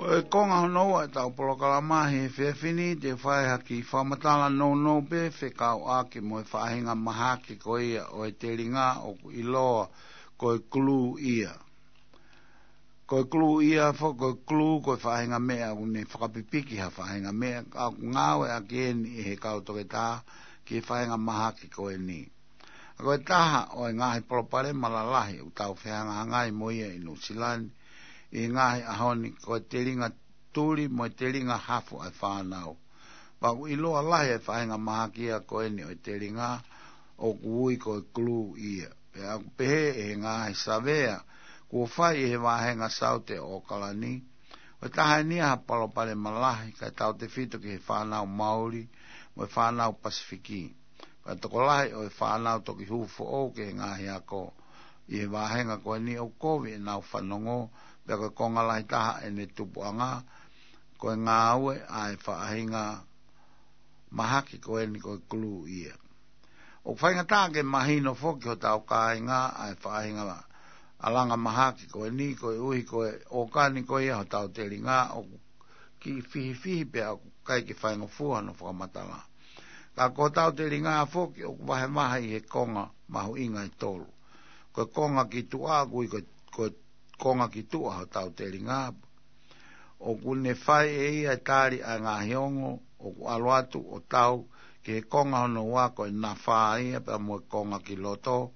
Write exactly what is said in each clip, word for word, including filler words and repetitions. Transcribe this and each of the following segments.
ʻO e konga hono ua ʻetau polokalama he efiafi ni, te u fai ha kiʻi fakamatala nounou pē fekauʻaki mo e faʻahinga mahaki ko ia ʻo e telinga ʻoku ʻiloa ko e glue ia. Ko e glue ia foki, ko e glue ko e faʻahinga meʻa ʻoku ne fakapipiki ha faʻahinga meʻa, ʻoku ngāueʻaki eni ʻe he kau toketā ki he faʻahinga mahaki ko eni. ʻA ko e taha ʻo e ngaahi palopalema lalahi ʻoku tau fehangahangai mo ia ʻi Nuʻusila ni ʻi he ngaahi ʻaho ni, ko e telinga tuli mo e telinga hafu ʻa e fānau. Pea ʻoku ʻiloa lahi e faʻahinga mahaki ia ko eni ʻo e telinga ʻoku ui ko e glue ia. Pea ʻoku pehē ʻe he ngaahi savea kuo fai ʻi he vāhenga Saute ʻo ʻOkalani, ʻoku taha eni ia ha palopalema lahi kae tautefito ki he fānau Mauli mo e fānau Pasifiki. Pea tokolahi ʻo e fānau toki hū foʻou ki he ngaahi ako ʻi he vāhenga ko eni ʻoku kovi ʻenau fanongo, pea ko e konga lahi taha ʻene tupuʻanga ko e ngāue ʻa e faʻahinga mahaki ko eni ko e glue ia. ʻOku faingataʻa ke mahino foki hotau kāinga ʻa e faʻahinga ʻalanga mahaki ko eni, koeʻuhi ko e ʻōkani ko ia hotau telinga ʻoku kiʻi fihifihi pea ʻoku ʻikai ke faingofua hono fakamatala. Ka ko hotau telinga foki ʻoku vahevahe ʻi he konga mahuʻinga ʻe tolu. Ko e konga ki tuʻa, ʻoku ui ko, ko e konga ki tuʻa hotau telinga, ʻoku ne fai ʻe ia e tali ʻa e ngaahi ongo ʻoku ʻalu atu ʻo tau ki he konga hono ua, ko e nafa ia pea mo e konga ki loto.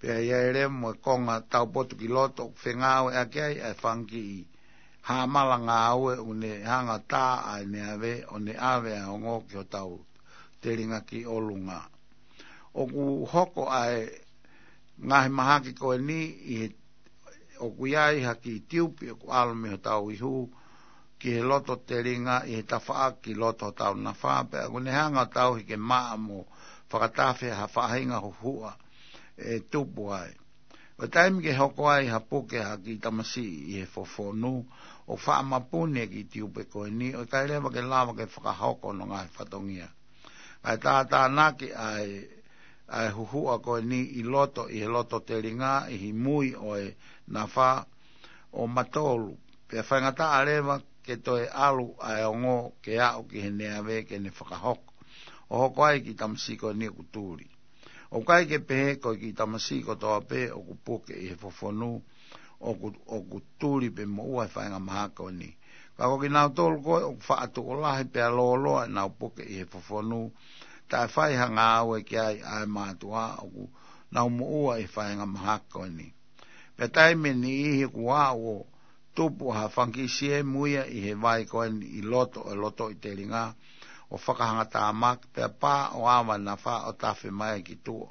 Pea ʻi ai leva mo e konga taupotu ki loto ʻoku fengāueʻaki ai ʻa e fanga kiʻi hāmala ngāue ʻoku ne hanga tā ʻa e neave ʻo ne ʻave ʻa e ongo ki hotau telinga ki ʻolunga. ʻOku hoko ʻa e ngaahi mahaki ko eni ʻi he, ʻoku ʻi ai ha kiʻi tiupi ʻoku ʻalu mei hotau ihu ki he loto telinga ʻi he tafaʻaki ki loto hotau nafa, pea ʻoku ne hanga ʻo tauhi ke maʻa mo fakatafe ha faʻahinga huhuʻa ʻe tupu ai. ʻO taimi ke hoko ai ha puke ha kiʻi tamasiʻi ʻi he fofonu, ʻoku faʻa mapuni e kiʻi tiupi ko eni, ʻo ʻikai leva ke lava ke fakahoko hono ngaahi fatongia. ʻA e tātānaki ʻa e, ʻa e huhuʻa ko eni ʻi loto, ʻi he loto telinga, ʻi he mui ʻo e nafa, ʻo matolu. Pea faingataʻa leva ke toe ʻalu ʻa e ongo ke aʻu ki he neave ke ne fakahoko, ʻo hoko ai e kiʻi tamasiʻi ko eni ʻoku tuli. ʻOku ʻikai ke pehē ko e kiʻi tamasiʻi kotoa pē ʻoku puke ʻi he fofonu ʻoku, ʻoku tuli pe moʻua he faʻahinga mahaki ko eni. Ka ko kinautolu ko ē ʻoku faʻa tuʻo lahi pea lōloa ʻenau puke ʻi he fofonu, taʻe fai ha ngāue ki ai ʻa e mātuʻa, ʻoku nau moʻua ʻi he faʻahinga mahaki ko eni. Pea taimi ʻe niʻihi ʻoku aʻu ʻo tupu ha fanga kiʻi siemu ia ʻi he vai ko eni ʻi loto ʻo e lotoʻi telinga, ʻo fakahangatāmaki, pea pā ʻo ava e nafa ʻo tafe mai ki tuʻa,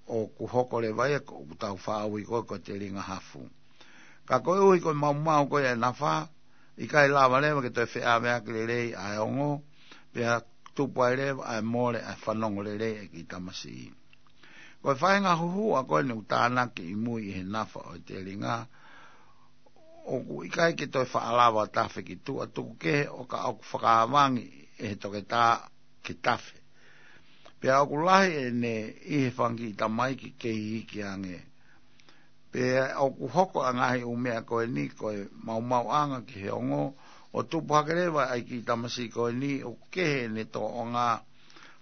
ʻoku hoko leva ia ko ʻoku tau faʻa ui ko ē ko e telinga hafu. Ka koeʻuhi ko e maumau ko ia e nafa, ʻikai lava leva ke toe feʻaveaki lelei ʻa e ongo, pea tupu ai leva ʻa e mole ʻa e fanongo lelei ʻa e kiʻi tamasiʻi. Ko e faʻahinga huhuʻa ko eni ʻoku tānaki ʻi mui ʻi he nafa ʻo e telinga, ʻoku ʻikai ke toe faʻa lava tafe ki tuʻa, tuku kehe ʻo ka ʻoku fakavangi ʻe he toketā ke tafe. Pea ʻoku lahi ʻene ʻi he fanga kiʻi tamaiki kei iiki ange. Pea ʻoku hoko ʻa e ngaahi ʻū meʻa ko eni ko e maumauʻanga ki he ongo, ʻo tupu hake leva ʻa e kiʻi tamasiʻi ko eni ʻoku kehe ʻene tōʻonga,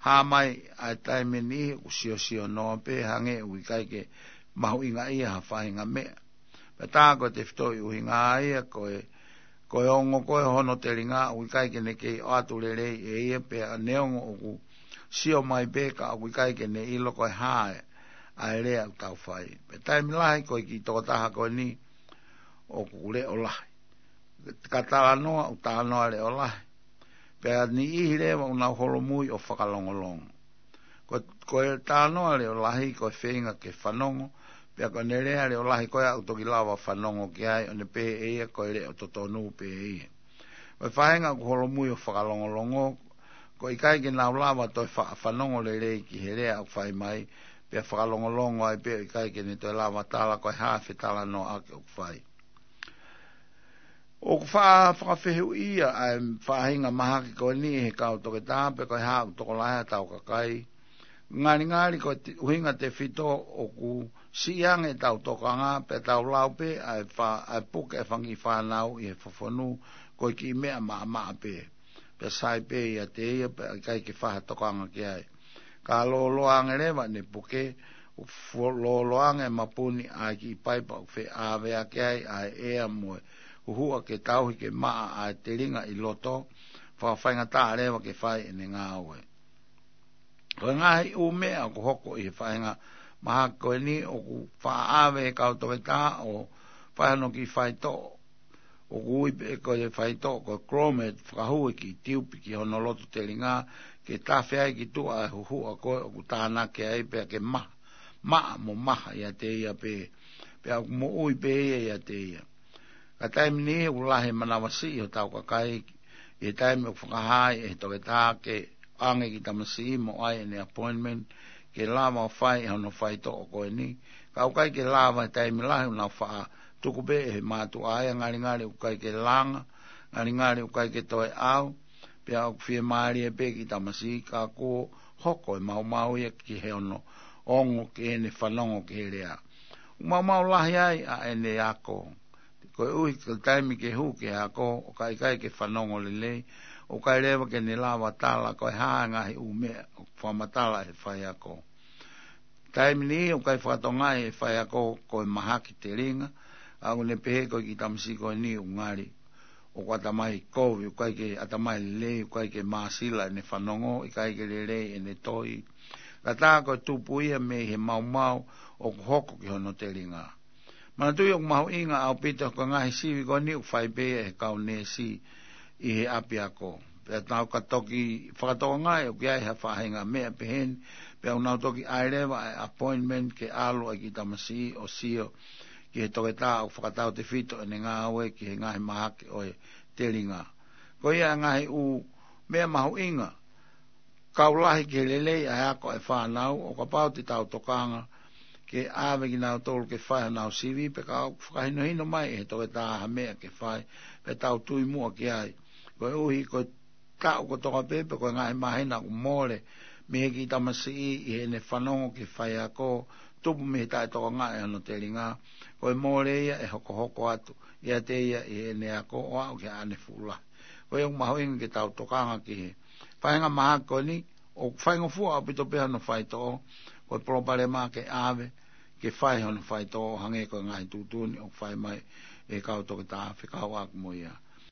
hā mai ʻa e taimi ʻe niʻihi ʻoku siosio noa pē hangē ʻoku ʻikai ke mahuʻingaʻia ha faʻahinga meʻa. Pea tā ko e tefitoʻi ʻuhinga ia ko e, ko e ongo ko ē hono telinga ʻoku ʻikai ke ne kei ʻoatu lelei ʻe ia, pea neongo ʻoku sio mai pē ka ʻoku ʻikai ke ne ʻilo ko e hā ʻa e lea ʻoku tau fai. Pea taimi lahi ko e kiʻi tokotaha ko eni ʻoku leʻo lahi. Ka talanoa, ʻoku talanoa leʻo lahi. Pea niʻihi leva ʻoku nau holomui ʻo fakalongolongo. Ko, ko e talanoa leʻo lahi ko e feinga ke fanongo, pea ko ʻene lea leʻo lahi ko ia ʻoku toki lava fanongo ki ai, ʻo ne pehē ʻe ia ko e leʻo totonu pē ia. Ko e faʻahinga ʻoku holomui ʻo fakalongolongo, ʻoku ʻikai ke nau lava toe fa-, fanongo lelei ki he lea ʻoku fai mai, pea fakalongolongo ai pē ʻo ʻikai ke ne toe lava tala ko e hā e fetalanoaʻaki ʻoku fai. ʻOku faʻa fakafehuʻia ʻa e faʻahinga mahaki ko eni ʻe he kau toketā pe ko e hā ʻoku tokolahi ʻa hotau kakai. Ngalingali ko e te-, ʻuhinga tefito ʻoku Siʻi ange ʻetau tokanga, pea tau lau pē ʻa e fa-, ʻa e puke ʻa e fanga kiʻi fānau ʻi he fofonu, ko e kiʻi meʻa maʻamaʻa pē. Pea sai pē ʻiate ia, pea ʻikai ke fai ha tokanga ki ai. Ka lōloa ange leva ʻene puke, ʻo fo-, lōloa ange e mapuni ʻa e kiʻi paipa ʻoku feʻaveʻaki ai ʻa e ʻea mo e huhuʻa ke tauhi ke maʻa ʻa e telinga ʻi loto, fakafaingataʻa leva ke fai ʻene ngāue. Ko e ngaahi ʻū meʻa ʻoku hoko ʻi he faʻahinga mahaki ko eni ʻoku faʻa ʻave ʻe he kau toketā ʻo fai hano kiʻi faitoʻo. ʻOku ui pē ko e faitoʻo ko e Clomid, fakahū e kiʻi tiupi ki hono loto telinga, ke tafe ai ki tuʻa e huhuʻa ko ē ʻoku tānaki ai pea ke maha, maʻa mo maha ʻiate ia pē, pea ʻoku moʻui pē ia ʻiate ia. Ka taimi niʻihi ʻoku lahi e manavasiʻi hotau kakai, ʻi he taimi ʻoku fakahā ai ʻe he toketā ke ʻange e kiʻi tamasiʻi mo ʻai ʻene appointment, ke lava ʻo fai hono faitoʻo ko eni. Ka ʻoku ʻikai ke lava he taimi lahi ʻoku nau faʻa tuku pē ʻe he mātuʻa ia, ngalingali ʻoku ʻikai ke langa, ngalingali ʻoku ʻikai ke toe ʻau, pea ʻoku fiemālie pē e kiʻi tamasiʻi ka kuo hoko e maumau ia ki he ono ongo ke ne fanongo ki he lea. ʻOku maumau lahi ai ʻa ʻene ako. Koeʻuhi ko e taimi ke hū ki he ako, ʻoku ʻikai ke fanongo lelei, ʻoku ʻikai leva ke ne lava tala ko e hā e ngaahi ʻū meʻa ʻoku fakamatala ʻe he faiako. Taimi niʻihi ʻoku ʻikai fakatokangaʻi ʻe he faiako ko e mahaki telinga, ʻa ʻoku ne pehē ko e kiʻi tamasiʻi ko eni ʻoku ngali ʻoku ʻatamai kovi, ʻoku ʻikai ke ʻatamai lelei, ʻoku ʻikai ke māsila ʻene fanongo, ʻikai ke lelei ʻene tohi. Ka tā ko e tupu ia mei he maumau ʻoku hoko ki hono telinga. Manatuʻi ʻoku mahuʻinga ʻaupito ko e ngaahi sivi ko eni ʻoku fai pē ia ʻe he kau neesi ʻi he ʻapiako. Pea tau ka toki fakatokangaʻi ʻoku ʻi ai ha faʻahinga meʻa peheni, pea ʻoku nau toki ʻai leva ʻa e appointment ke ʻalu ʻa e kiʻi tamasiʻi ʻo sio ki he toketā ʻoku fakatautefito ʻene ngāue ki he ngaahi mahaki ʻo e telinga. Ko ia e ngaahi ʻū meʻa mahuʻinga, kau lahi ki he lelei ʻa e ako ʻa e fānau, ʻo kapau te tau tokanga ke ʻave kinautolu ke fai honau sivi, pea ka ʻoku fakahinohino mai ʻe he toketā ha meʻa ke fai, pea tau tui muʻa ki ai. Koeʻuhi ko e taʻu kotoa pē, pe ko e ngaahi māhina ʻoku mole mei he kiʻi tamasiʻi ʻi heʻene fanongo ki he faiako, tupu mei he taʻetokangaʻi hono telinga, ko e mole ia ʻe hokohoko atu ʻiate ia ʻi heʻene ako ʻo aʻu ki haʻane fuʻu lahi. Ko ia ʻoku mahuʻinga ke tau tokanga ki he faʻahinga mahaki ko eni, ʻoku faingofua ʻaupito pē hono faitoʻo, ko e palopalema ke ʻave ke fai hono faitoʻo hangē ko e ngaahi tuʻutuʻuni ʻoku fai mai ʻe he kau toketā fekauʻaki mo ia.